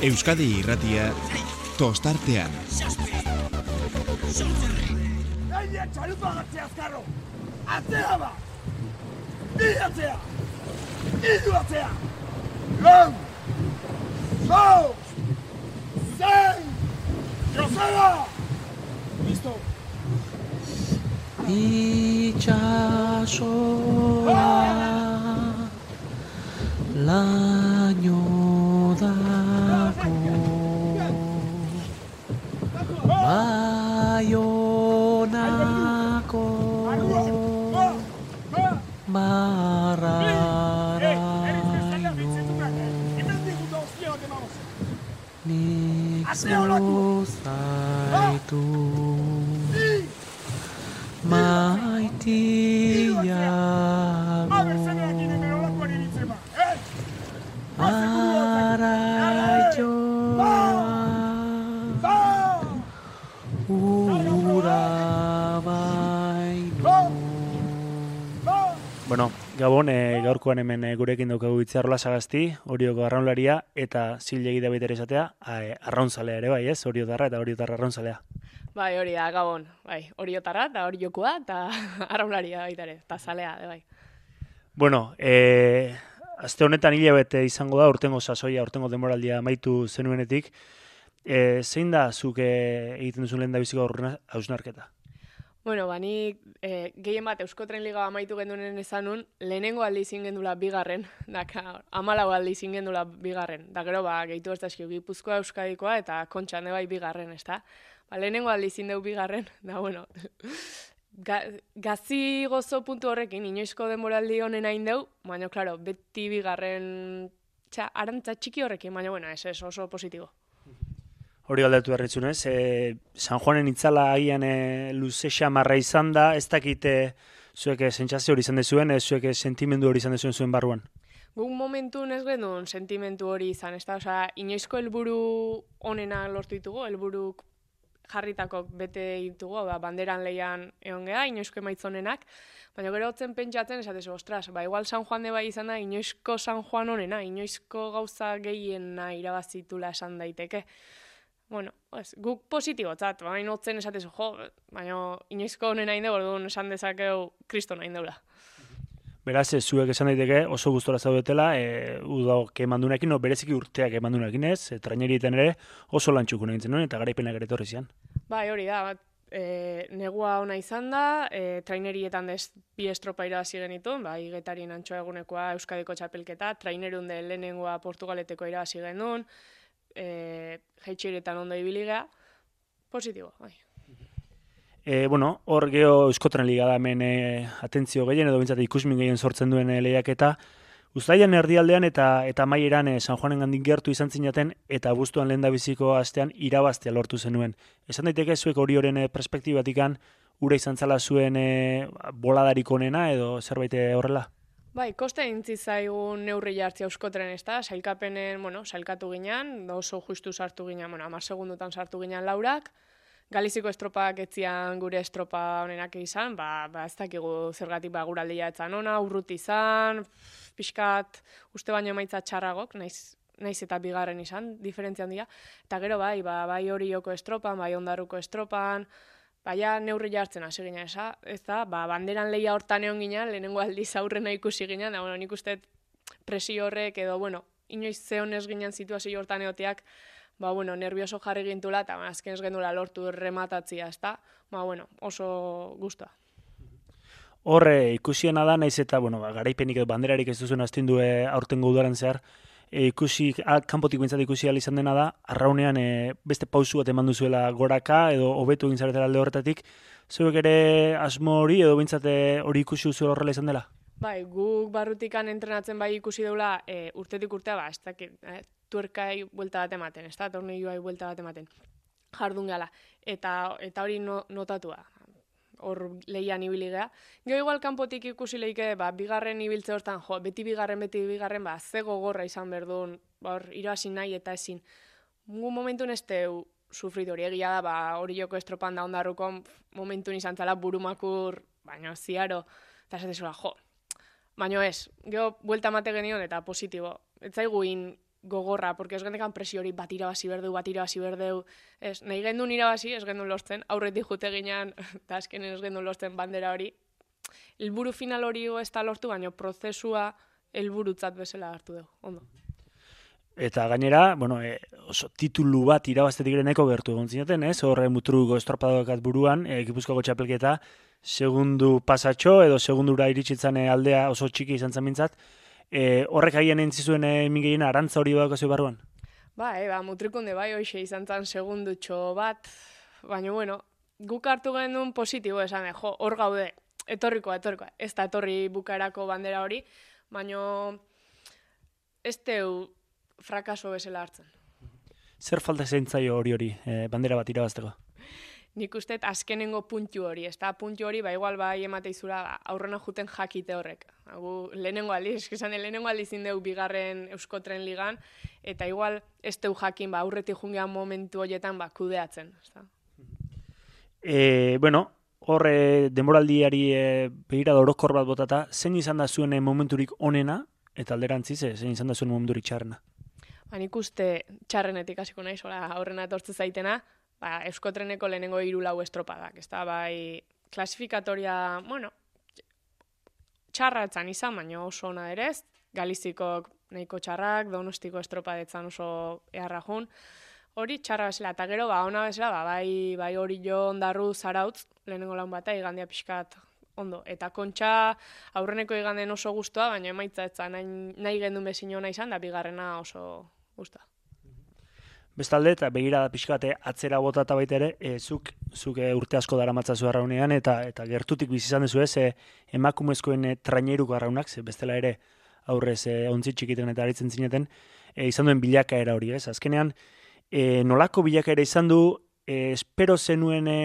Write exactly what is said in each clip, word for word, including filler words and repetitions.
Euskadi Irratia tostartean. Gaina txalupa gatzea azkarro! Atzea ba! Bi atzea! Iru atzea! Lau! Lau! Zein! Joseba! Listo! Itxasoa laino dako Baionako marraraino nik zuzaitu maitiago araioa ura baino. Bueno, Gabon, e, gaurkoan hemen e, gurekin daukagu Itziarrola Sagasti, Orioko arraunlaria, eta zilegi da baita ere esatea, e, arraunzalea ere bai, ez? Oriotarra eta Oriotarra arraunzalea. Bai, hori da, Gabon. Bai, Oriotarra eta Oriokoa eta arraunlaria baita ere, eta zalea, de bai. Bueno, e, aste honetan hilabete izango da, urtengo sasoia, urtengo denboraldia amaitu zenuenetik. E, zein da zuk e, egiten duzun lehen da biziko hausnarketa? Bueno, ba, ni e, gehien bat Euskotren Liga amaitu gendunen ezanun, lehenengo aldi izin gendula bigarren, daka, amalau aldi izin gendula bigarren. Da gero, ba, gehitu ez da eskio, Gipuzkoa, Euskadikoa eta Kontxan bai bigarren, ez da? Ba, lehenengo aldi izin deu bigarren, da, bueno, ga, gazi gozo puntu horrekin, inoizko denboraldi honen hain deu, baina, klaro, beti bigarren, txa, arantza txiki horrekin, baina, bueno, ez, ez oso positibo. Hori aldatu berritzunez, e, San Juanen itzala agian e, luze xamarra izan da, ez dakite zuek sentsazio hori izan dezuen, ez zuek sentimendu hori izan dezuen zuen barruan? Guk momentu ez genuen sentimentu hori izan, ez da, osea, inoizko helburu onena lortu ditugu, helburuk jarritako bete ditugu, ba, banderan leian egon geha, inoizko emaitzonenak, baina gero hotzen pentsatzen esatezu, ostras, ba, igual San Juan de bai izan da, inoizko San Juan onena, inoizko gauza gehiena irabazitula esan daiteke. Bueno, pues, guk positibotzat, baina hotzen esatezu, jo, baina inoizko honen hain dugu, orduan esan dezakeu kriston hain deula. Beraz, zuek esan daiteke oso gustora zaudetela, e, udok emandunekin, no, bereziki urteak emandunekin ez, e, trainerietan ere oso lantxukun egin zenuen, eta garaipenak ere etorri zian. Bai, hori da, bat, e, negua ona izan da, e, trainerietan dez bi estropa irabazi genituen, bai, Getarien Antxoa egunekoa Euskadiko txapelketa, trainerunde lehenengoa Portugaleteko irabazi genuen, e, jaitxiretan ondo ibiligea, positibo, bai. E, bueno, hor geho Euskotren Liga da hemen e, atentzio gehien, edo bintzat ikusmin gehien sortzen duen e, lehiaketa. Uztailan erdialdean eta eta maieran e, San Juanen gandik gertu izan zinaten, eta abuztuan lehen da biziko astean irabaztea lortu zenuen. Esan daiteke zuek hori horren e, perspektibatikan, ura izan zala zuen e, boladarik onena, edo zerbait horrela? Bai, koste intzi zaigun neurri jartzea Euskotren, ez da, sailkapenen, bueno, sailkatu ginean, oso justu sartu ginean, bueno, hamar segundutan sartu ginean laurak, Galiziko estropak etzian gure estropa honenak izan, ba, ba ez dakigu zergatik ba, guraldia etzan ona, urrut izan, pixkat, uste baino emaitza txarragok, naiz, naiz eta bigarren izan, diferentzia handia, eta gero bai, ba, bai Orioko estropan, bai Ondarruko estropan, baina neurri jartzen hasi ginen, ez da, ba, banderan lehia hortan egon ginen, lehenengo aldiz aurrena ikusi ginen, da, bueno, nik uste presio horrek edo, bueno, inoiz zeon ez ginen situazio hortan egoteak, ba, bueno, nervioso jarri gintula, eta ba, azken ez gendula lortu rematatzia, ez da, ba, bueno, oso guztua. Horre, ikusiena da, naiz eta, bueno, ba, garaipenik edo banderarik ez duzuen astindu e, aurtengo udaren zehar, e, ikusi, a, kanpotik bintzat ikusi ahal izan dena da, arraunean e, beste pausu bat eman duzuela goraka, edo hobetu egin zaretela alde horretatik, zuek ere asmo hori, edo bintzat hori ikusi duzu horrela izan dela? Bai, guk barrutikan entrenatzen bai ikusi deula e, urtetik urtea, ba, ez dakit, e, tuerkai buelta bat ematen, ez da, tornilloai buelta bat ematen, jardun gala, eta, eta hori no, notatua, hor lehian ibili geha. Gero igual kanpotik ikusi lehike, ba, bigarren ibiltze hortan, jo, beti bigarren, beti bigarren, ba, ze gogorra izan berdun, ba, hor, irabazi nahi eta ezin. Gu momentun ez teu sufritu hori egia da, ba, Orioko estropan da Ondarrukon momentun izan zala burumakur, baina ziaro, eta esatezula, jo, baina ez, gero buelta mate genion eta positibo. Ez zaigu in gogorra, porque ez gendekan presio hori bat irabazi berdeu, bat irabazi berdeu, ez, nahi gendun irabazi, ez gendun lortzen, aurretik jute ginean, eta azkenen ez gendun lortzen bandera hori. Helburu final hori ez da lortu, baina prozesua helburutzat bezala hartu dugu, ondo. Eta gainera, bueno, e, oso titulu bat irabaztetik ere nahiko gertu egon zineten, ez? Horre mutruko estropadokat buruan, e, Gipuzkoako txapelketa, segundu pasatxo edo segundura iritsitzen aldea oso txiki izan zen mintzat. E, horrek haien entzizuen e, mingeien arantza hori badako barruan? Ba, e, ba, mutrikunde bai, hoxe izan zen segundutxo bat, baina bueno, guk hartu genuen positibo esan, jo, hor gaude, etorrikoa, etorrikoa, ez da etorri bukaerako bandera hori, baina ez teu frakaso bezala hartzen. Zer falta zeintzaio hori hori, e, bandera bat irabazteko? Nik uste azkenengo puntu hori, ez da puntu hori, ba igual bai emateizura ba, aurrena juten jakite horrek. Gu lehenengo aldiz, esan lehenengo aldiz indeu bigarren Euskotren ligan, eta igual ez teu jakin ba, aurretik jungean momentu horietan ba, kudeatzen. Ezta? E, bueno, horre denboraldiari e, begira orokor bat botata, zein izan da zuen momenturik onena, eta alderantziz, e, zein izan da zuen momenturik txarrena? Ba, nik uste txarrenetik hasiko naiz, aurrena etortze zaitena, ba, Euskotreneko lehenengo hiru lau estropadak, ez da, bai, klasifikatoria, bueno, txarratzan izan, baina oso ona derez, Galizikok nahiko txarrak, Donostiko estropadetzan oso eharra jun, hori txarra bezala, eta gero, ba, ona bezala, ba, bai, bai hori jo ondarru zarautz, lehenengo laun bata, igandia pixkat ondo, eta kontxa aurreneko iganden oso guztua, baina emaitza etza nahi, nahi gendun bezin hona izan, da bigarrena oso guztua. Bestalde, eta begirada pixkate atzera botata baita ere, e, zuk, zuk e, urte asko dara matzazu arraunean, eta, eta gertutik bizizan dezu ez, e, emakumezkoen e, traineruko arraunak, ze bestela ere aurrez e, ontzi txikiten eta aritzen zineten, e, izan duen bilakaera hori, ez? Azkenean, e, nolako bilakaera izan du, e, espero zenuen e,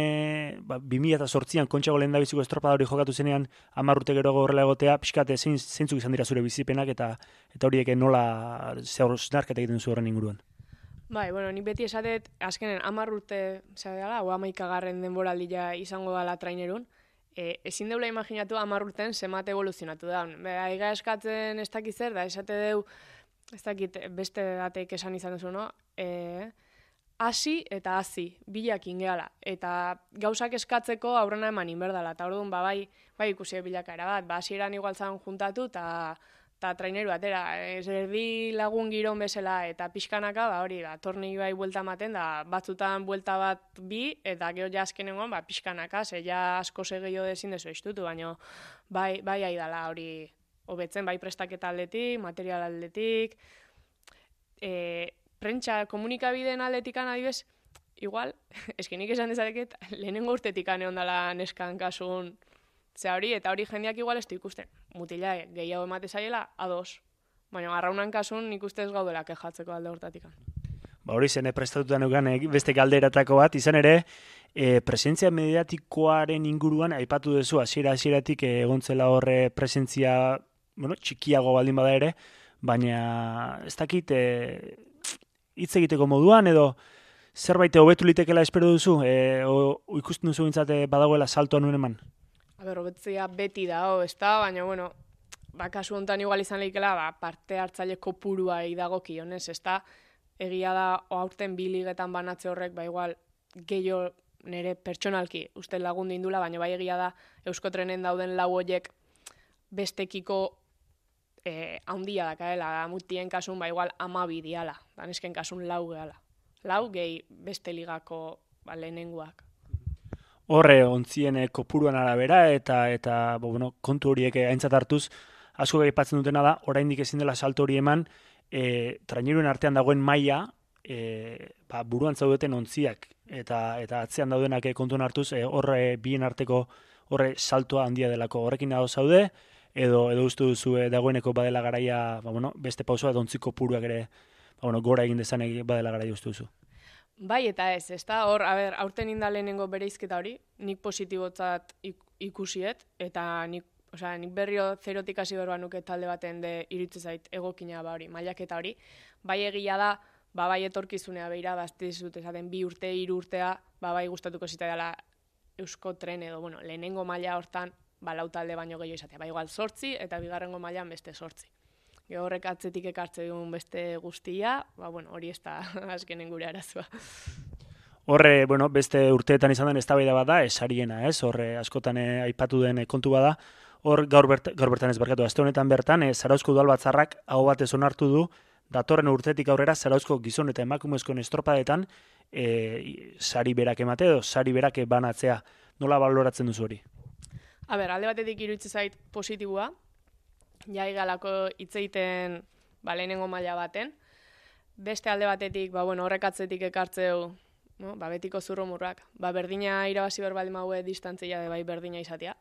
ba, bi mila zortzian kontxago lehen da biziko estropada hori jokatu zenean, hamar urte gero horrela egotea, pixkate zein, zeintzuk izan dira zure bizipenak, eta, eta horiek nola zeharketa egiten zu horren inguruan. Bai, bueno, nik beti esatet, azkenen hamar urte, zer dela, o hamaikagarren denboraldia izango dela trainerun, e, ezin deula imaginatu hamar urten zemat evoluzionatu da. Bera, aiga eskatzen ez dakit zer, da esate deu, ez dakit beste dateik esan izan duzu, no? E, hasi eta hasi, bilak ingeala. Eta gauzak eskatzeko aurrena eman inberdala. Eta orduan, ba, bai, bai ikusi bilakaera bat, ba, hasieran igual zan juntatu, eta eta traineru atera, ez erdi lagun giron bezala, eta pixkanaka, ba, hori, ba, torni bai buelta ematen, da, batzutan buelta bat bi, eta gero ja azkenengoan, ba, pixkanaka, ze ja asko segio dezin dezu estutu, baina bai, bai aidala hori hobetzen, bai prestaketa aldetik, material aldetik, e, prentsa komunikabideen aldetikan adibez, igual, eskenik esan dezareket, lehenengo urtetik ane ondala neskan kasun, ze hori, eta hori jendeak igual ez du ikusten. Mutila, gehiago emate zaiela, ados. Baina garraunan kasun nik uste ez gaudela kejatzeko alde hortatikan. Ba hori zen, prestatuta neukan beste galderatako bat, izan ere, e, presentzia mediatikoaren inguruan, aipatu duzu, hasiera hasieratik egontzela horre presentzia, bueno, txikiago baldin bada ere, baina ez dakit, e, hitz egiteko moduan, edo zerbait hobetu litekela espero duzu, e, o, o ikusten duzu bintzate badagoela saltoa nuen eman? Aber, hobetzea beti da, ez da, baina, bueno, ba, kasu honetan igual izan lehikela, ba, parte hartzaile kopurua idago kionez, ez da, egia da, aurten bi ligetan banatze horrek, ba, igual, gehiago nire pertsonalki uste lagundu indula, baina bai egia da, Euskotrenen dauden lau horiek bestekiko eh, haundia dakaela, mutien kasun, ba, igual, amabi diala, danesken kasun lau gehala. Lau gehi beste ligako ba, lehenenguak. Horre, ontzien kopuruan arabera, eta, eta bo, bueno, kontu horiek aintzat hartuz, asko gaipatzen dutena da, oraindik ezin dela salto hori eman, e, traineruen artean dagoen maila, e, ba, buruan zaudeten ontziak, eta, eta atzean daudenak kontuan hartuz, e, horre bien arteko horre saltoa handia delako. Horrekin dago zaude, edo, edo uste duzu e, dagoeneko badela garaia, ba, bueno, beste pausoa, edo ontzi kopuruak ere, ba, bueno, gora egin dezan badela garaia uste duzu. Bai eta ez, ez da, hor, a ber, aurten inda lehenengo bereizketa hori, nik positibotzat ikusiet, eta nik, osea, nik berrio zerotik hasi berba nuke talde baten de iritze zait egokina ba hori, mailaketa hori. Bai egia da, ba bai etorkizunea beira, bazte dizut esaten bi urte, hiru urtea, ba bai gustatuko zita dela Euskotren edo, bueno, lehenengo maila hortan, ba lau talde baino gehiago izatea. Ba igual zortzi, eta bigarrengo mailan beste zortzi. Gero horrek atzetik ekartze duen beste guztia, ba, bueno, hori ez da azkenen gure arazoa. Horre, bueno, beste urteetan izan den eztabaida bat da, esariena, ez? Horre, askotan eh, aipatu den eh, kontu bada. Hor, gaur, bert, gaur bertan ez barkatu, aste honetan bertan, eh, Zarauzko udalbatzarrak aho batez onartu du, datorren urtetik aurrera Zarauzko gizon eta emakumezkoen estropadetan eh, sari berak emate edo sari berak banatzea. Nola baloratzen duzu hori? A ber, alde batetik iruditzen zait positibua, jai galako hitz egiten ba, lehenengo maila baten. Beste alde batetik, ba, bueno, horrek atzetik ekartzeu, no? Ba, betiko zurrumurrak. Ba, berdina irabazi berbaldin maue distantzia de bai berdina izatea.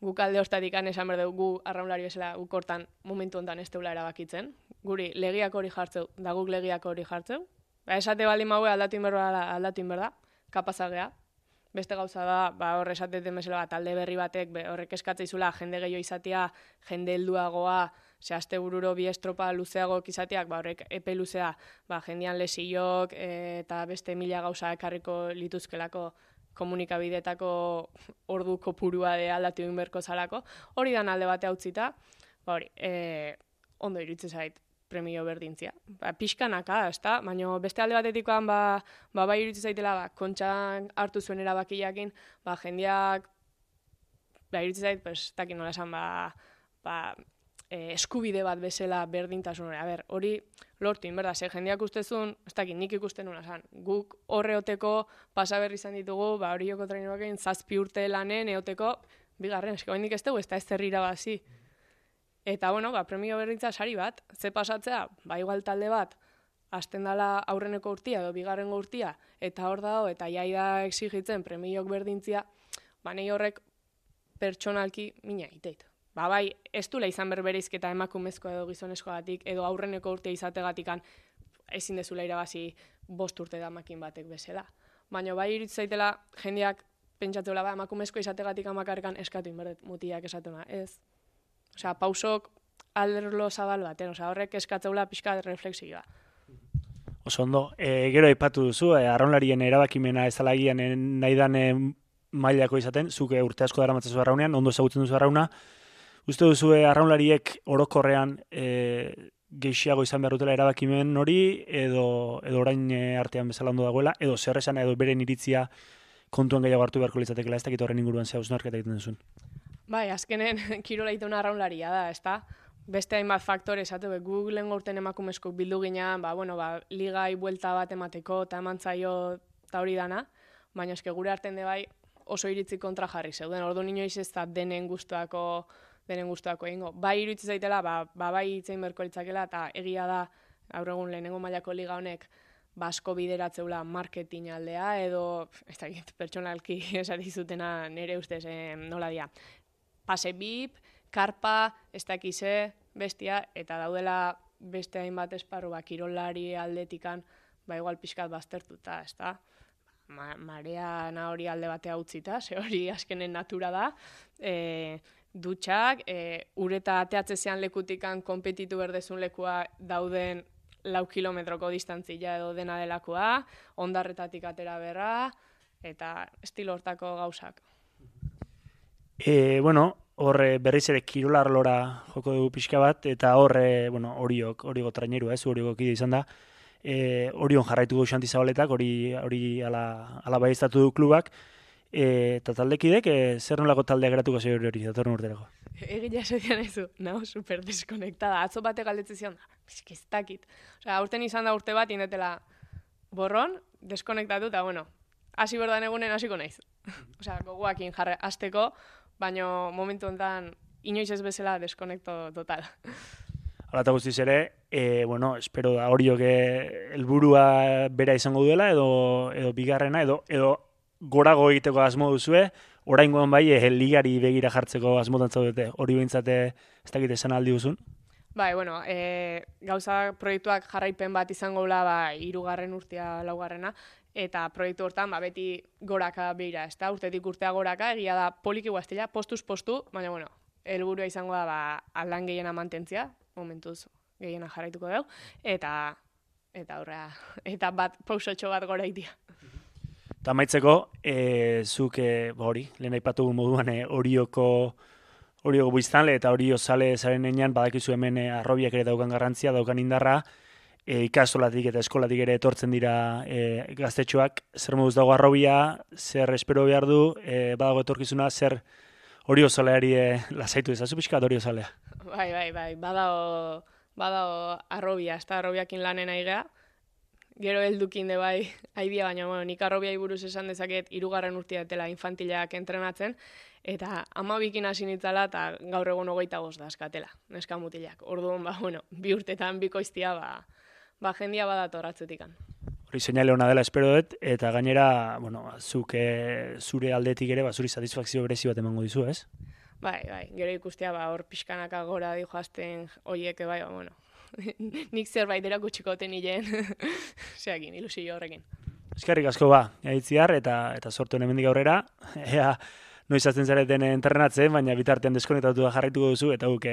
Guk alde hortatik esan behar dugu, gu arraunlari bezala guk hortan momentu honetan ez teula erabakitzen. Guri legiak hori jartzeu, da guk legiak hori jartzeu. Ba, esate baldin maue aldatu inberda, aldatu inberda, kapazagea. Beste gauza da, ba, hor esateten bezala bat, talde berri batek, be, horrek eskatzeizula jende gehiago izatea, jende helduagoa, ze aste bururo bi estropa luzeagoak izateak, ba, horrek epe luzea, ba, jendean lesiok e, eta beste mila gauza ekarriko lituzkelako komunikabidetako ordu kopurua de aldatu egin berko zalako. Hori dan alde bate hautzita, ba, hori, e, ondo iruditzen zait premio berdintzia. Ba, pixkanaka, ezta? Baina beste alde batetikoan, ba, ba, bai iruditzen zaitela, ba, kontxan hartu zuen erabakiakin, ba, jendeak, ba, iruditzen zait, pues, takin nola esan, ba, ba, e, eskubide bat bezala berdintasun hori. A ber, hori lortu, inberda, ze jendeak ustezun, ez dakit, nik ikusten nuna esan, guk horreoteko pasaberri izan ditugu, ba, hori joko traineroak egin, zazpi urte lanen eoteko, bigarren, esko bendik ez dugu, ez da ez zer irabazi. Eta, bueno, ba, premio berdintza sari bat, ze pasatzea, ba, igual talde bat, hasten dala aurreneko urtia edo bigarrengo urtia, eta hor dago, eta jaida exigitzen premiok berdintzia, ba, nahi horrek pertsonalki mina iteit. Ba, bai, ez dula izan berbereizketa emakumezko edo gizonezkoagatik, edo aurreneko urtea izategatikan ezin dezula irabazi bost urte damakin batek bezala. Baina bai iruditzen zaitela jendeak pentsatzeula, ba, emakumezko izategatik amakarrekan eskatu inberdet mutiak esatuna, ez? Osea, pausok alderlo zabal baten, osea, horrek eskatzeula pixka reflexioa. Oso ondo, e, gero aipatu duzu, e, arraunlarien erabakimena ez alagian e, nahi dan e, mailako izaten, zuke urte asko dara matzazu arraunean, ondo ezagutzen duzu arrauna. Uste duzu e, arraunlariek orokorrean e, gehiago izan behar dutela erabakimen hori, edo, edo orain e, artean bezala ondo dagoela, edo zer esan edo beren iritzia kontuan gehiago hartu beharko litzatekela, ez dakit horren inguruan zea hausnarketa egiten duzun. Bai, azkenen kirola ituna arraunlaria da, ezta? Beste hainbat faktore, esatu, Google lehen gaurten emakumezko bildu ginean, ba, bueno, ba, ligai buelta bat emateko, eta emantzaio eta hori dana, baina eske gure arten de bai oso iritzi kontra jarri zeuden, ordu inoiz ez da denen gustuako, denen gustuako egingo. Bai iritzi zaitela, ba, ba bai itzein berko litzakela, eta egia da, gaur egun lehenengo mailako liga honek, basko bideratzeula marketing aldea, edo, ez da, pertsonalki esari zutena nire ustez, eh, nola dia. Pase bip, karpa, ez dakize, bestia, eta daudela beste hainbat esparru, ba, kirolari aldetikan, ba, igual pixkat baztertuta, ez da? Ma, marea na hori alde batea utzita, ze hori azkenen natura da, e, dutxak, e, ureta ateatzezean lekutikan konpetitu berdezun lekua dauden lau kilometroko distantzia edo dena delakoa, ondarretatik atera berra, eta estilo hortako gauzak. E, bueno, horre berriz ere kirolar lora joko dugu pixka bat, eta horre, bueno, horiok, horiok traineru, ez, horiok kide izan da, e, horion jarraitu du Xanti Zabaletak, hori, hori ala, ala baiestatu du klubak, e, eta taldekidek, e, zer nolako taldea geratuko zei hori hori, datorren urterako? Egia esotian ezu, naho, super deskonektada, atzo bate galdetze zion, ez dakit. Osea, aurten izan da urte bat, indetela borron, deskonektatu, eta bueno, hasi berdan egunen hasiko naiz. Osea, gogoakin jarre, hasteko, baina momentu honetan inoiz ez bezala deskonekto total. Hala eta guztiz ere, e, bueno, espero da horiok helburua bera izango duela, edo, edo bigarrena, edo, edo gorago egiteko asmo duzue, oraingoan bai, e, ligari begira jartzeko asmotan zaudete, hori behintzate ez dakit esan aldi duzun? Bai, bueno, e, gauza proiektuak jarraipen bat izango la, ba, hirugarren urtea laugarrena, eta proiektu hortan ba, beti goraka beira, ez da, urtetik urtea goraka, egia da poliki guaztila, postuz postu, baina, bueno, helburua izango da, ba, aldan gehiena mantentzia, momentuz gehiena jarraituko dugu, eta, eta horrea, eta bat, pausotxo bat gora itia. Eta maitzeko, e, zuk, e, hori, lehen aipatu moduan, e, horioko hori biztanle eta hori osale zaren enean badakizu hemen e, arrobiak ere daukan garrantzia, daukan indarra, e, ikastolatik eta eskolatik ere etortzen dira e, gaztetxoak, zer moduz dago arrobia, zer espero behar du, e, badago etorkizuna, zer hori osaleari e, lasaitu ezazu pixka hori osalea. Bai, bai, bai, badao, badao arrobia, ez da arrobiakin lanen aigea, gero heldukin de bai, haidia, baina bueno, nik arrobiai buruz esan dezaket hirugarren urtea dela infantilak entrenatzen, eta amabikin hasi nitzala eta gaur egun hogeita bost da eskatela, neska mutilak. Orduan, ba, bueno, bi urtetan bikoiztia, ba, ba jendia badator atzetikan. Hori seinale ona dela espero dut, eta gainera, bueno, zuk e, zure aldetik ere, ba, zuri satisfakzio berezi bat emango dizu, ez? Bai, bai, gero ikustea, ba, hor pixkanaka gora di joazten hoiek, bai, ba, bueno, nik zerbait erakutsiko ten hilen, zeakin, ilusio horrekin. Eskerrik asko ba, gaitziar, eta, eta sortu hemendik aurrera, ea, noiz azten zareten entrenatzen, baina bitartean deskonektatu da jarraituko duzu, eta guk,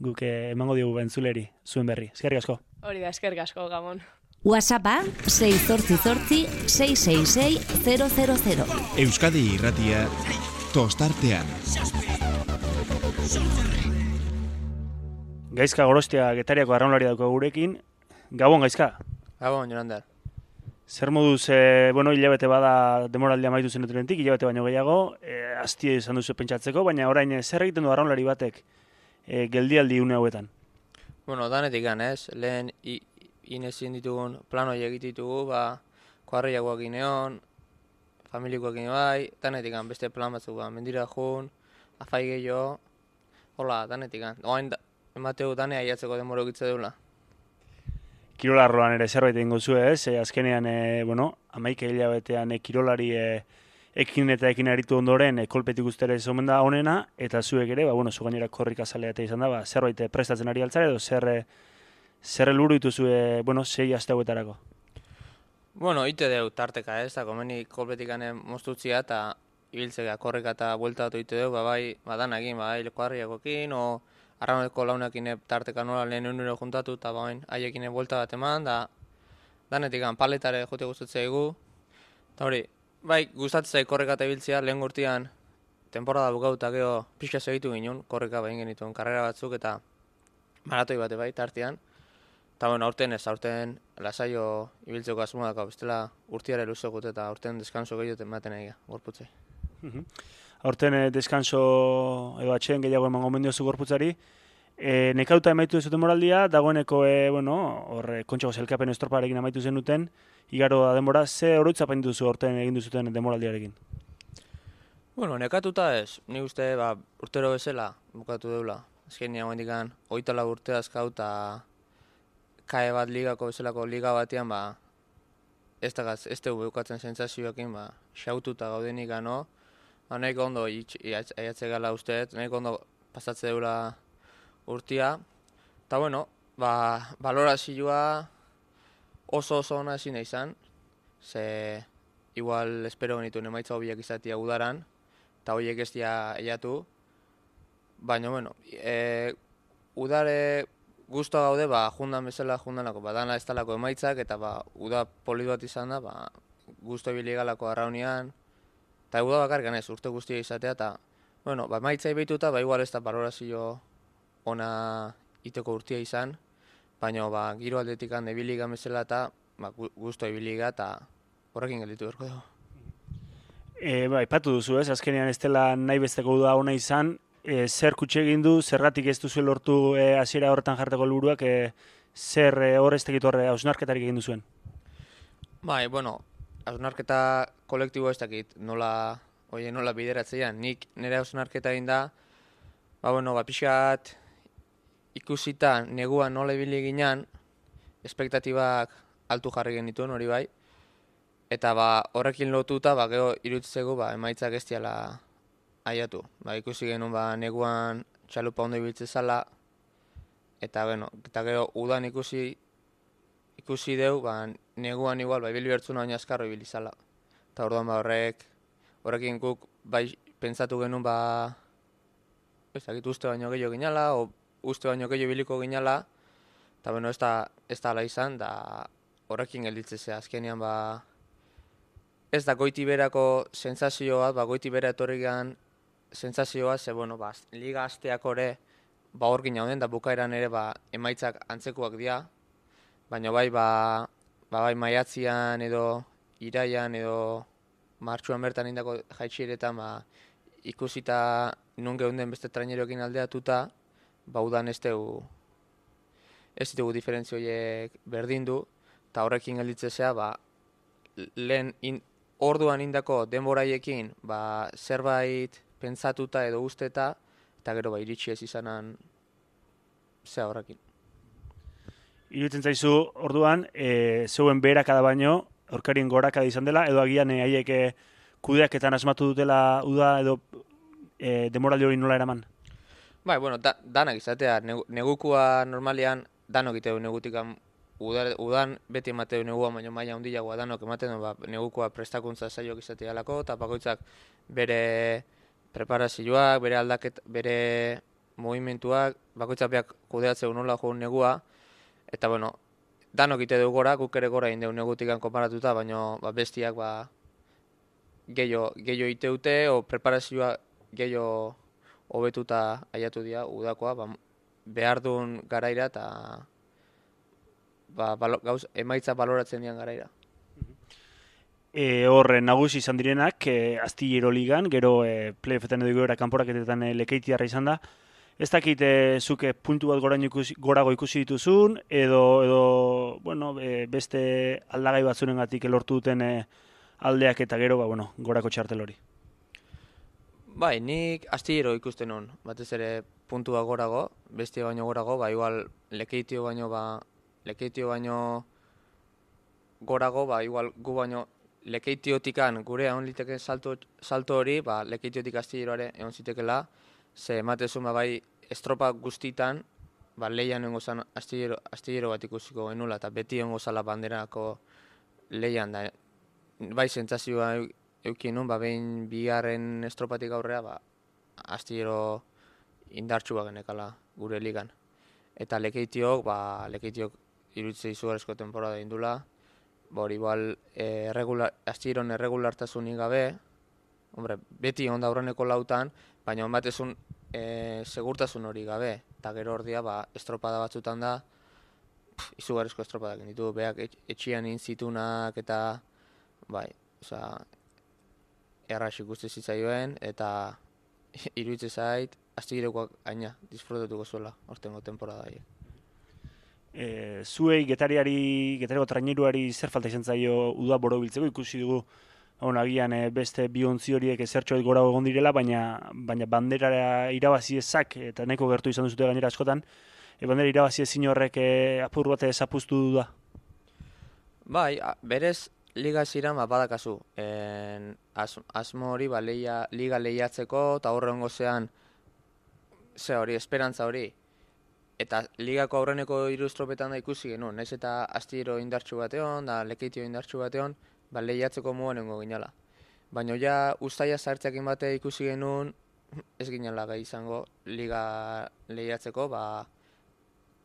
guk emango diogu bentzuleri, zuen berri. Eskerrik asko. Hori da, eskerrik asko, Gabon. WhatsAppa sei zortzi zortzi sei sei sei zero zero zero. Euskadi Irratia tostartean. Gaizka Gorostia Getariako arraunlari dauko gurekin. Gabon, Gaizka. Gabon, Jonander. Zer moduz, e, bueno, hilabete bada demoraldia amaitu zenutenetik, hilabete baino gehiago, e, aztie izan duzu pentsatzeko, baina orain e, zer egiten du arraunlari batek e, geldialdi une hauetan? Bueno, danetik gan, ez? Lehen inezin ditugun plano egititugu, ba, kuarriagoak gineon, familikoak gine bai, danetik gan, beste plan batzuk, ba, mendira jun, afai gehiago, hola, danetik gan. Oain, da, emateu danea iatzeko demoro egitze deula. Kirolarroan ere zerbait egingo zu, ez? E, azkenean, e, bueno, amaike hilabetean e, kirolari e, ekin eta ekin aritu ondoren e, kolpetik ustere zomen da honena, eta zuek ere, ba, bueno, zu gainera korrika zalea eta izan da, ba, zerbait e, prestatzen ari altzare edo zer, e, zer helburu dituzu, e, bueno, sei aste hauetarako? Bueno, ite deu tarteka, ez? Da, komeni kolpetikane moztutzia eta ibiltzea korrika eta bueltatu ite deu, ba, bai, badanakin, bai, kuarriagoekin, o arrauneko launekin tarteka nola lehen unero juntatu, eta bain haiekin buelta bat eman, da danetik paletare jote gustatzea egu. Eta hori, bai, gustatzea korreka eta ibiltzea, lehen gurtian temporada bukatu eta geho pixka segitu ginen, korreka behin genituen karrera batzuk eta maratoi bate bai, tartean. Eta bueno, aurten ez, aurten lasaio ibiltzeko asmoak, bestela urtiare luzegut eta aurten deskanso gehiagoten ematen egia, gorputzei. Aurten e, deskanso edo atxeen gehiago emango mendiozu gorputzari. E, nekauta emaitu duzuten moraldia, dagoeneko, e, bueno, hor, kontxago zelkapen estroparekin amaitu zenuten, igaro da denbora, ze oroitzapen duzu aurten egin duzuten demoraldiarekin? Bueno, nekatuta ez, ni uste ba, urtero bezala bukatu deula. Azken nire hendikan, oitala urte azkau eta kae bat ligako bezalako liga batean, ba, ez da ez dugu bukatzen sentsazioekin, ba, xaututa gaudenik gano, ba, nahiko ondo aiatze gala usteet, nahiko ondo pasatze deula urtia. Eta bueno, ba, balorazioa oso oso ona ezin izan, ze igual espero genituen emaitza hobiak izatea udaran, eta horiek ez dira eiatu. Baina, bueno, e, udare guztua gaude, ba, jundan bezala jundanako, ba, dana ez talako emaitzak, eta ba, uda polit bat izan da, ba, guztua biligalako arraunian, eta uda bakarrikan ez, urte guztia izatea, eta, bueno, ba, emaitzai behituta, ba, igual ez da balorazio ona iteko urtia izan, baina, ba, giro aldetik hande biliga bezala, eta, ba, guztua biliga, eta horrekin gelditu berko dugu. E, ba, ipatu duzu, ez, azkenean ez dela nahi besteko uda ona izan, e, zer kutxe egin du, zergatik ez duzu lortu e, hasiera horretan jarteko helburuak, e, zer e, hor ez tekit horre hausnarketarik egin duzuen? Bai, bueno, hausnarketa kolektibo ez dakit, nola, oie, nola bideratzean, nik nire hausnarketa egin da, ba, bueno, ba, pixat ikusita neguan nola ibili ginean, espektatibak altu jarri genituen hori bai, eta ba, horrekin lotuta, ba, geho irutzeko ba, emaitzak ez diala aiatu. Ba, ikusi genuen ba, neguan txalupa ondo ibiltze zala, eta, bueno, eta geho udan ikusi ikusi deu, ba, neguan igual, ba, ibili bertzuna baina azkarro ibili zala. Eta orduan ba, horrek, horrekin guk bai pentsatu genuen, ba, ezakit uste baino gehiago ginala, o uste baino gehiago ibiliko ginala, eta, bueno, ez da, ez da ala izan, da horrekin gelditzea azkenean, ba, ez da goiti berako sentsazio bat, ba, goiti bera etorrigan sentsazioa, ze, bueno, ba, liga hasteak ore, ba, hor ginen da bukaeran ere, ba, emaitzak antzekoak dira, baina bai, ba, ba, bai, maiatzian edo, iraian edo, martxuan bertan indako jaitxieretan, ba, ikusita nun geunden beste traineroekin aldeatuta, ba, udan ez dugu, ez dugu diferentzio horiek berdindu, eta horrekin gelditzea, ba, lehen in, orduan indako denboraiekin, ba, zerbait pentsatuta edo usteta, eta gero ba, iritsi ez izanan zea horrekin. Iruditzen zaizu, orduan, e, zeuen beherakada baino, aurkarien gorakada izan dela, edo agian e, haiek e, kudeaketan asmatu dutela uda edo e, demoraldi hori nola eraman? Bai, bueno, da, danak izatea, negu, negukua normalean danok iteu negutikan, udan, udan beti emateu negua, baina maila handiagoa danok ematen du, ba, negukua prestakuntza saioak izatea alako, eta bakoitzak bere preparazioak, bere aldaket, bere movimentuak, bakoitzak beak kudeatzeu nola joan negua, eta bueno, danok ite dugu gora, guk ere gora indeu negutikan konparatuta, baina ba, bestiak ba, gehiago, gehiago iteute, o preparazioa gehiago hobetuta aiatu dira udakoa, ba, behar duen garaira eta ba, balo, gauz, emaitza baloratzen dian garaira. E, hor, nagusi izan direnak, e, Astillero Ligan, gero e, playoffetan edo goera kanporaketetan e, Lekeitiarra izan da. Ez dakit e, zuke puntu bat goraino ikusi, gorago ikusi dituzun, edo, edo bueno, e, beste aldagai batzurengatik lortu duten e, aldeak eta gero, ba, bueno, gorako txartel hori. Bai, nik Astillero ikusten hon, batez ere puntua gorago, bestia baino gorago, ba, igual Lekeitio baino, ba, Lekeitio baino gorago, ba, igual gu baino Lekeitiotikan gure egon liteken salto, salto hori, ba, Lekeitiotik Astilleroare egon zitekela, ze ematezun ba, bai estropa guztitan, ba, leian egon gozan Astillero, Astillero bat ikusiko genula, eta beti egon gozala banderako leian, da, bai sentsazioa eukin nun, ba, behin bigarren estropatik aurrea, ba, Astillero indartsua genekala gure ligan. Eta Lekeitiok, ba, Lekeitiok iruditzea izugarrizko temporada indula, ba, hori igual, e, regular, Astilleron erregulartasunik gabe, hombre, beti onda aurreneko lautan, baina onbatezun e, segurtasun hori gabe, eta gero ordia, ba, estropada batzutan da, pff, izugarrizko estropadak ditu, beak etxian inzitunak eta, bai, osea, errax ikuste zitzaioen, eta iruditzen zait, Astillerokoak aina disfrutatuko zuela ortengo temporada haiek. E, zuei getariari, getariko traineruari zer falta izan zaio uda borobiltzeko, ikusi dugu bueno, agian e, beste bi ontzi horiek ezertxo gora egon direla, baina, baina bandera irabazi ezak, eta nahiko gertu izan duzute gainera askotan, e, bandera irabazi ezin horrek e, apur bat zapuztu du da? Bai, a, berez liga ziren ba, badakazu. En, as, asmo hori ba, leia, liga lehiatzeko, eta horrengo zean, ze hori, esperantza hori. Eta ligako aurreneko hiru estropetan da ikusi genuen, naiz eta Astillero indartsu bateon, da Lekeitio indartsu bateon, ba, lehiatzeko muan nengo ginala. Baina ja ustaia sartzeakin bate ikusi genuen, ez ginala gai izango liga lehiatzeko, ba,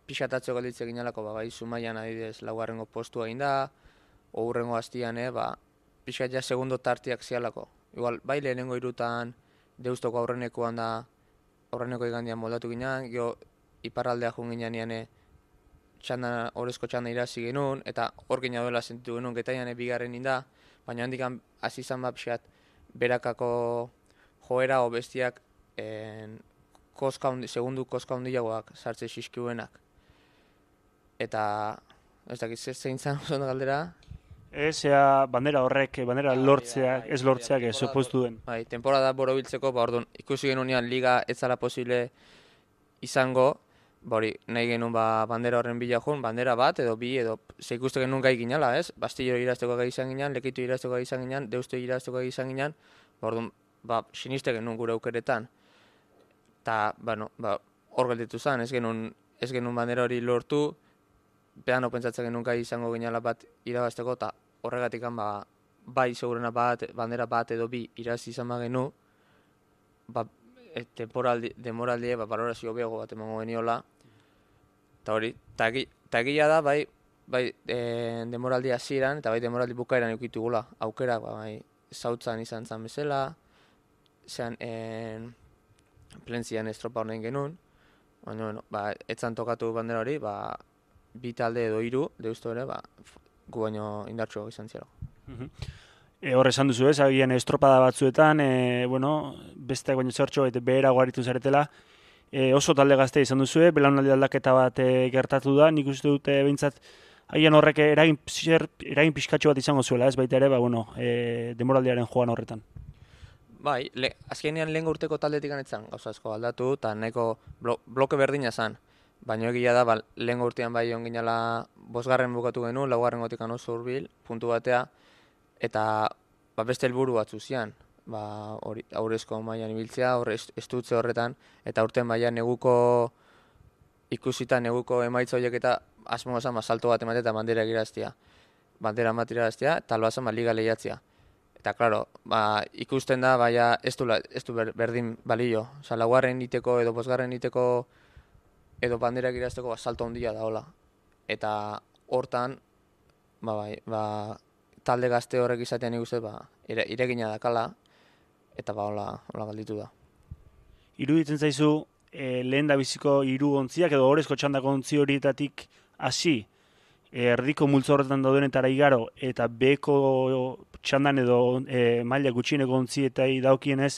pixatatzo galditze ginalako, ba, bai Zumaian adibidez laugarrengo postua egin da, hurrengo hastian, eh, ba, pixat ja segundo tartiak zialako. Igual, bai lehenengo irutan Deustoko aurrenekoan da, aurreneko igandian moldatu ginen, gero iparraldea jun ginean txanda, horrezko txanda irazi genuen, eta hor gina duela sentitu genuen, getaian bigarren inda, baina handikan hasi izan bat pixat berakako joera o bestiak en, koska undi, segundu koska hundiagoak sartze xiskiuenak. Eta, ez dakit, zein zan oso galdera? Ez, ea, bandera horrek, bandera lortzeak, ez lortzeak, ez opostu duen. Bai, temporada borobiltzeko, ba, orduan, ikusi genunean liga ez zala posible izango, ba, hori, nahi genuen ba, bandera horren bila joan, bandera bat, edo bi, edo, ze ikuste genuen gai ginala, ez? Astillero irazteko gai izan ginen, Lekeitio irazteko gai izan ginen, Deusto irazteko gai izan ginen, ba, orduan, ba, siniste genuen gure aukeretan. Eta, bueno, ba, hor gelditu zen, ez genuen, ez genuen bandera hori lortu, behano pentsatzen genuen gai izango ginala bat irabazteko, eta horregatik ba, bai segurena bat, bandera bat edo bi irazi izan bagenu, ba, e, temporaldi, demoraldie, ba, valorazio beago bat emango geniola, eta hori, eta egia da, bai, bai e, demoraldi hasieran eta bai demoraldi bukaeran eukitugula, aukera, ba, bai, zautzan izan zen bezala, zean en, plentzian estropa honen genuen, baina, bueno, ba, etzan tokatu bandera hori, ba, bi talde edo hiru, deustu ere, ba, gu baino indartxo izan zero. E, hor esan duzu ez, agian estropada batzuetan, e, bueno, beste baino zertxo eta behera guaritu zaretela, e, oso talde gazte izan duzue, belaunaldi aldaketa bat e, gertatu da, nik uste dute behintzat, agian horrek eragin, eragin pixkatxo bat izango zuela, ez baita ere, ba, bueno, e, demoraldiaren joan horretan. Bai, le, azkenean lehen urteko taldetik anetzan gauza asko aldatu, eta nahiko blo, bloke berdina zan. Baina egia da, ba, lehen urtean bai on ginela bosgarren bukatu genuen, laugarren gotikan oso hurbil, puntu batea, eta ba, beste helburu batzu zian. Ba, hori, aurrezko mailan ibiltzea, hor estutze horretan, eta urten baina neguko ikusita, neguko emaitza horiek eta asmoa zan, ba, salto bat ematea eta bandera egiraztia. Bandera ematea eta albazan ba, liga lehiatzea. Eta, klaro, ba, ikusten da, baina ez du, ez du berdin balio. Osa, laugarren iteko edo bosgarren iteko edo banderak irazteko ba, salto handia da, hola. Eta hortan, ba, bai, ba, talde gazte horrek izatean ikusten, ba, ire, iregina dakala, eta ba, hola, hola galditu da. Iruditzen zaizu, e, lehen da biziko hiru ontziak edo orezko txandako ontzi horietatik hasi, e, erdiko multzo horretan daudenetara igaro, eta beko txandan edo e, maila gutxieneko ontzietai daukienez,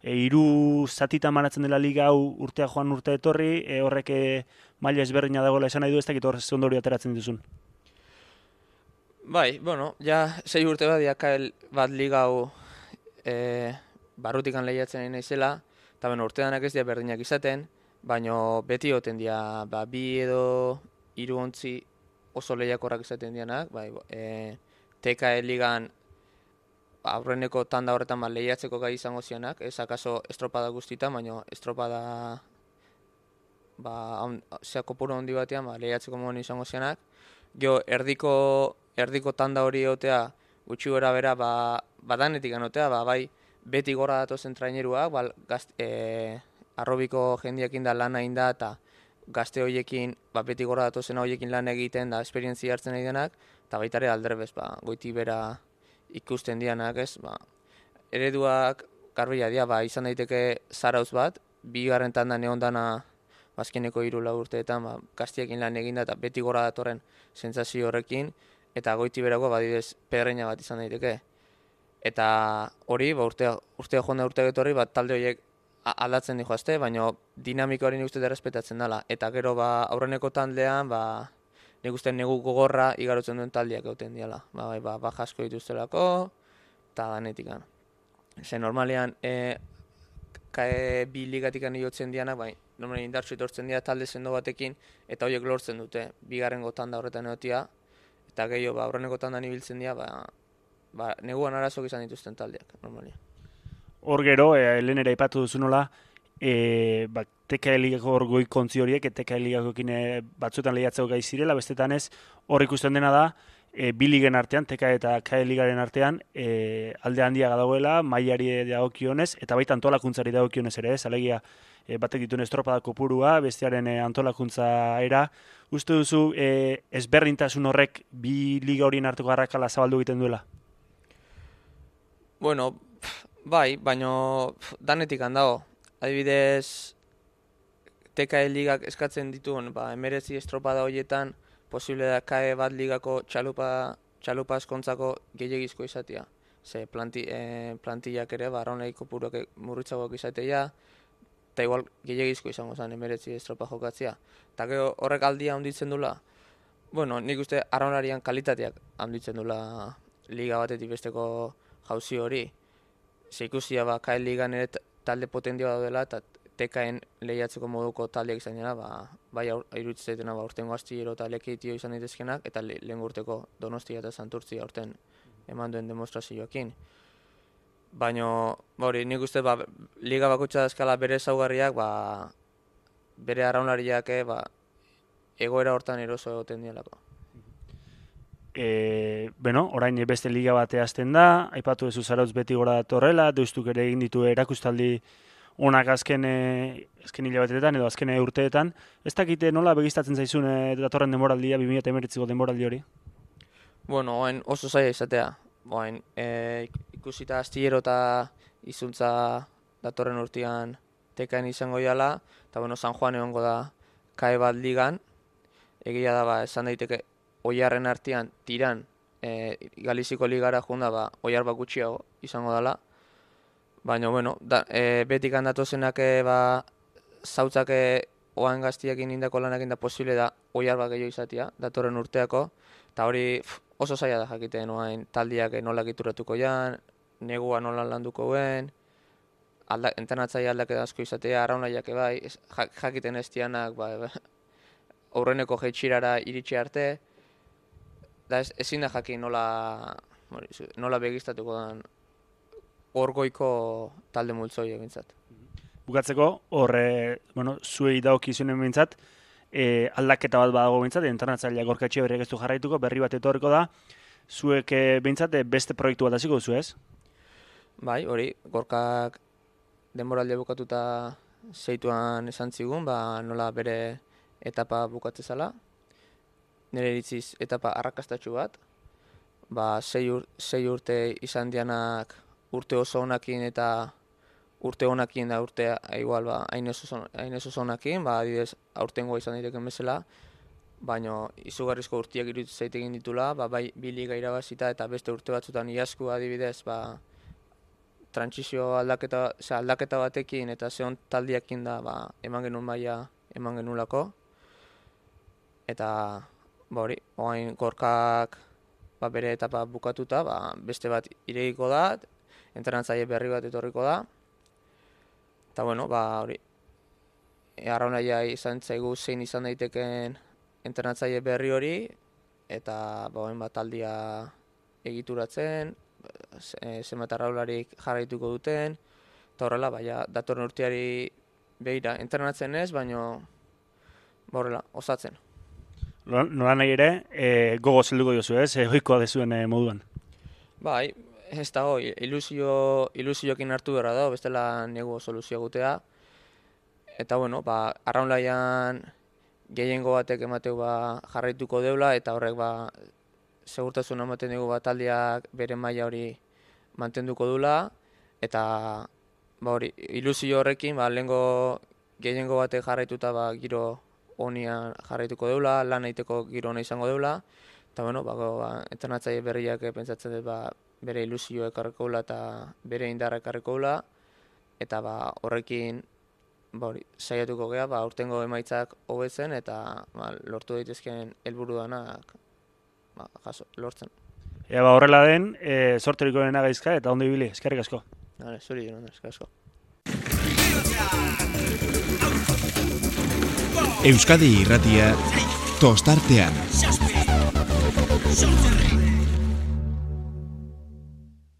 e, hiru zatita manatzen dela liga hau urtea joan urte etorri, e, horrek e, maila ezberdina dagoela esan nahi du, ez dakit horrez ondori ateratzen dituzun. Bai, bueno, ja sei urte bat diakael bat liga hau e, barrutikan lehiatzen nahi naizela, eta ben urteanak ez dira berdinak izaten, baina beti oten dira ba, bi edo hiru ontzi oso lehiakorrak izaten dianak, bai, e, T K E ligan aurreneko tanda horretan ba, lehiatzeko gai izango zianak, ez akaso estropada guztietan, baina estropada ba, zea kopuru handi batean ba, lehiatzeko modu izango zianak. Gero, erdiko, erdiko tanda hori egotea, gutxi gora bera, ba, badanetik anotea, ba, bai, beti gora datozen traineruak, ba, gazt, e, arrobiko jendiakin da lan egin da, eta gazte horiekin, ba, beti gora datozen horiekin lan egiten da, esperientzia hartzen nahi denak, eta baita ere aldrebez, ba, goiti bera ikusten dianak, ez, ba, ereduak garbila dira, ba, izan daiteke zarauz bat, bigarren tanda neondana bazkeneko hiru lau urteetan, ba, gaztiekin lan eginda eta beti gora datorren sentsazio horrekin, eta goiti berako badidez pedreina bat izan daiteke. Eta hori, ba, urtea, urtea joan da urtea getorri, ba, talde horiek aldatzen dihoazte, baina dinamika hori nik uste errespetatzen dela. Eta gero ba, aurreneko taldean, ba, nik uste negu gogorra igarotzen duen taldiak egoten diala. Ba, bai, ba, baja asko dituztelako, eta danetikan. Ze normalean, e, kae bi ligatikan iotzen dianak, bai, normalean indartsu etortzen dira talde sendo batekin, eta horiek lortzen dute, bigarrengo tanda horretan egotia, eta gehiago, ba, aurreneko tandan ibiltzen dira, ba, ba, neguan arazok izan dituzten taldeak, normalean. Hor gero, e, lehen ere aipatu duzu nola, e, ba, T K E ligako hor goikontzi horiek, T K E ligakoekin batzuetan lehiatzeko gai zirela, bestetan ez, hor ikusten dena da, e, bi ligen artean, T K E eta K E ligaren artean, e, alde handia dagoela, mailari dagokionez, eta baita antolakuntzari dagokionez ere, ez, alegia, e, batek dituen estropada kopurua, bestearen e, antolakuntza era, uste duzu, e, ezberdintasun horrek bi liga horien arteko arrakala zabaldu egiten duela? Bueno, bai, baina danetik handago. Adibidez, T K E ligak eskatzen dituen, ba, emerezi estropada horietan, posible da K E bat ligako txalupa, txalupa eskontzako gehiagizko izatea. Ze planti, e, plantillak ere, ba, arraunai kopuruak murritzagoak izatea, eta igual gehiagizko izango zen emerezi estropa jokatzea. Eta gero horrek aldia handitzen dula, bueno, nik uste arraunarian kalitateak handitzen dula liga batetik besteko jauzi hori. Ze ikusia ba, K E ligan ere talde potentioa daudela, eta T K En lehiatzeko moduko taldeak izan dira, ba, bai iruditzen ba, urtengo astillero eta lekitio izan daitezkenak, eta le, lehen urteko Donostia eta Santurtzia urten eman duen demonstrazioakin. Baina, ba, hori, nik uste, ba, liga bakotxa eskala bere ezaugarriak, ba, bere arraunlariak, ba, egoera hortan eroso egoten dialako. E, bueno, orain beste liga bate hasten da, aipatu duzu Zarautz beti gora datorrela, deustuk ere egin ditu erakustaldi onak azken, e, azken hilabeteetan edo azken urteetan. Ez dakite nola begistatzen zaizun e, datorren denboraldia, bi mila hemeretziko denboraldi hori? Bueno, oain oso zaila izatea. Oain, e, ikusita astillero eta izuntza datorren urtean tekain izango jala, eta bueno, San Juan egongo da kae bat ligan, egia da, ba, esan daiteke, oiarren artean tiran, e, Galiziko ligara junda, ba, oiar bat gutxiago izango dela, baina, bueno, da, e, betik handatozenak, ba, zautzake oan gaztiakin indako lanakin da posible da oiar bat gehiago izatea, datorren urteako, eta hori pf, oso zaila da jakiten oain taldiak nola gituratuko jan, negua nola landuko guen, alda, entrenatzaile aldaketa asko izatea, arraunaiak bai, ez, jakiten ez dianak, ba, ba, aurreneko jeitxirara iritsi arte, da ez, ezin da jakin nola, nola begiztatuko den orgoiko talde multzoi egintzat. Bukatzeko, horre, bueno, zuei dagokizunen behintzat, e, aldaketa bat badago behintzat, entrenatzailea Gorka Etxeberriak ez du jarraituko, berri bat etorriko da, zuek e, behintzat beste proiektu bat hasiko duzu ez? Bai, hori, Gorkak denboraldia bukatuta zeituan esan zigun, ba, nola bere etapa bukatzezala, nire iritziz etapa arrakastatxu bat, ba, sei, ur, sei urte izan dianak urte oso honakin eta urte honakin da urtea igual ba hain ez oso honakin, ba adibidez aurtengoa izan daiteken bezala, baino izugarrizko urteak iruditu zaitekin ditula, ba bai bi liga irabazita eta beste urte batzutan iazko adibidez, ba trantsizio aldaketa, ze aldaketa batekin eta zeon taldiakin da, ba eman genuen maila eman genulako. Eta ba hori, orain Gorkak ba bere etapa bukatuta, ba beste bat irekiko da, entrenatzaile berri bat etorriko da. Eta bueno, ba hori, arraunaia izan zaigu zein izan daiteken entrenatzaile berri hori, eta ba orain bat taldia egituratzen, zenbat arraularik jarraituko duten, eta horrela, ba ja, datorren urteari begira, entrenatzen ez, baino ba horrela, osatzen. Nola nahi ere, e, gogo zelduko jozu ez, e, ohikoa dezuen e, moduan. Bai, ez da hoi, ilusio, ilusiokin hartu berra da, bestela negu soluzio gutea. Eta bueno, ba, arraunlaian gehiengo batek emateu ba, jarraituko deula, eta horrek ba, segurtasun ematen dugu ba, taldeak bere maila hori mantenduko dula, eta ba, hori, ilusio horrekin ba, lehengo gehiengo batek jarraituta ba, giro honian jarraituko deula, lan egiteko giro hona izango deula, eta bueno, ba, ba, entrenatzaile berriak pentsatzen dut ba, bere ilusio ekarriko dula eta bere indarra ekarriko dula, eta ba, horrekin ba, hori, saiatuko gea, ba, urtengo emaitzak hobetzen eta ba, lortu daitezkeen helburu danak ba, jaso, lortzen. Ea ba, horrela den, e, sorteriko dena gaizka eta ondo ibili, eskerrik asko. Vale, zuri, eskerrik asko. Euskadi Irratia tostartean.